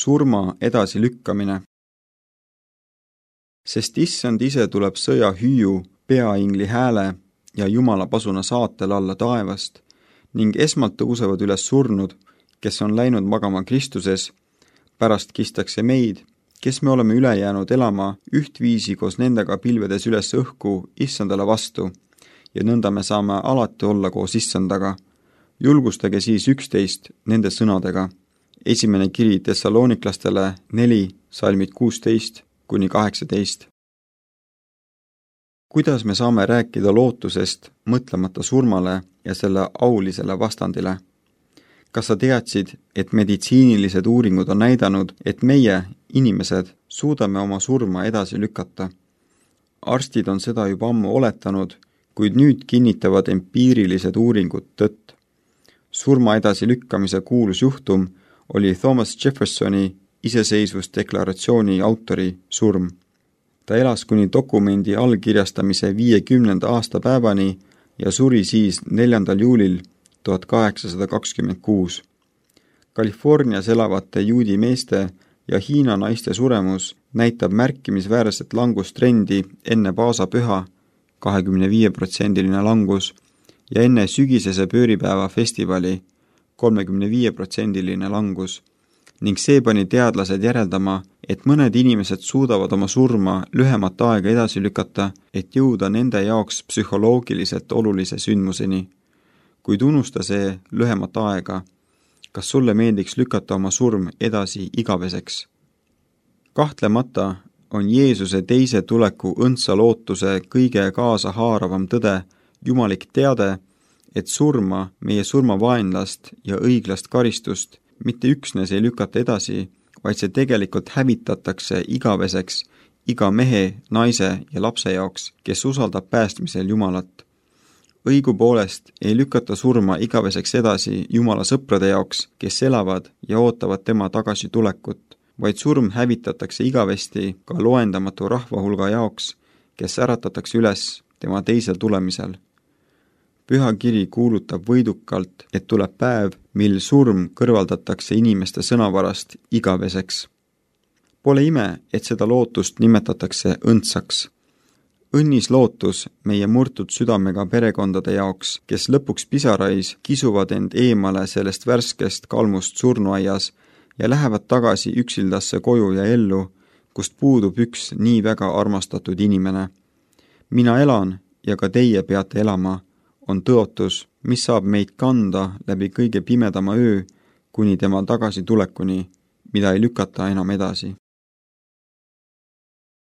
surma edasilükkamine. Sest issand ise tuleb sõja hüüu, peaingli hääle ja Jumala pasuna saatel alla taevast ning esmalt tõusevad üles surnud, kes on läinud magama Kristuses, pärast kistakse meid, kes me oleme üle jäänud elama ühtviisi koos nendega pilvedes üles õhku issandale vastu ja nõnda me saame alati olla koos issandaga. Julgustage siis üksteist nende sõnadega. Esimene kiri Thessaloniklastele 4, salmid 16-18. Kuidas me saame rääkida lootusest, mõtlemata surmale ja selle aulisele vastandile? Kas sa teadsid, et meditsiinilised uuringud on näidanud, et meie, inimesed, suudame oma surma edasi lükata? Arstid on seda juba ammu oletanud, kuid nüüd kinnitavad empiirilised uuringud tõtt. Surma edasi lükkamise kuulus juhtum oli Thomas Jeffersoni iseseisvusdeklaratsiooni autori surm. Ta elas kuni dokumendi allkirjastamise 50. aastapäevani ja suri siis 4. juulil 1826. Californias elavate juudi meeste ja Hiina naiste suremus näitab märkimisväärset langustrendi enne paasapüha, 25% langus, ja enne sügisese pööripäeva festivali, 35% langus, ning see pani teadlased järeldama, et mõned inimesed suudavad oma surma lühemat aega edasi lükata, et jõuda nende jaoks psühholoogiliselt olulise sündmuseni. Kuid unusta see lühemat aega. Kas sulle meeldiks lükata oma surm edasi igaveseks? Kahtlemata on Jeesuse teise tuleku õndsa lootuse kõige kaasahaaravam tõde, jumalik teade, et surma, meie surmavaenlast ja õiglast karistust mitte üksnes ei lükata edasi, vaid see tegelikult hävitatakse igaveseks iga mehe, naise ja lapse jaoks, kes usaldab päästmisel Jumalat. Õigupoolest ei lükata surma igaveseks edasi Jumala sõprade jaoks, kes elavad ja ootavad tema tagasi tulekut, vaid surm hävitatakse igavesti ka loendamatu rahvahulga jaoks, kes äratatakse üles tema teisel tulemisel. Püha kiri kuulutab võidukalt, et tuleb päev, mil surm kõrvaldatakse inimeste sõnavarast igaveseks. Pole ime, et seda lootust nimetatakse õndsaks. Õnnis lootus meie murtud südamega perekondade jaoks, kes lõpuks pisarais kisuvad end eemale sellest värskest kalmust surnuaias ja lähevad tagasi üksildasse koju ja ellu, kust puudub üks nii väga armastatud inimene. Mina elan ja ka teie peate elama, on tõotus, mis saab meid kanda läbi kõige pimedama öö kuni tema tagasitulekuni, mida ei lükata enam edasi.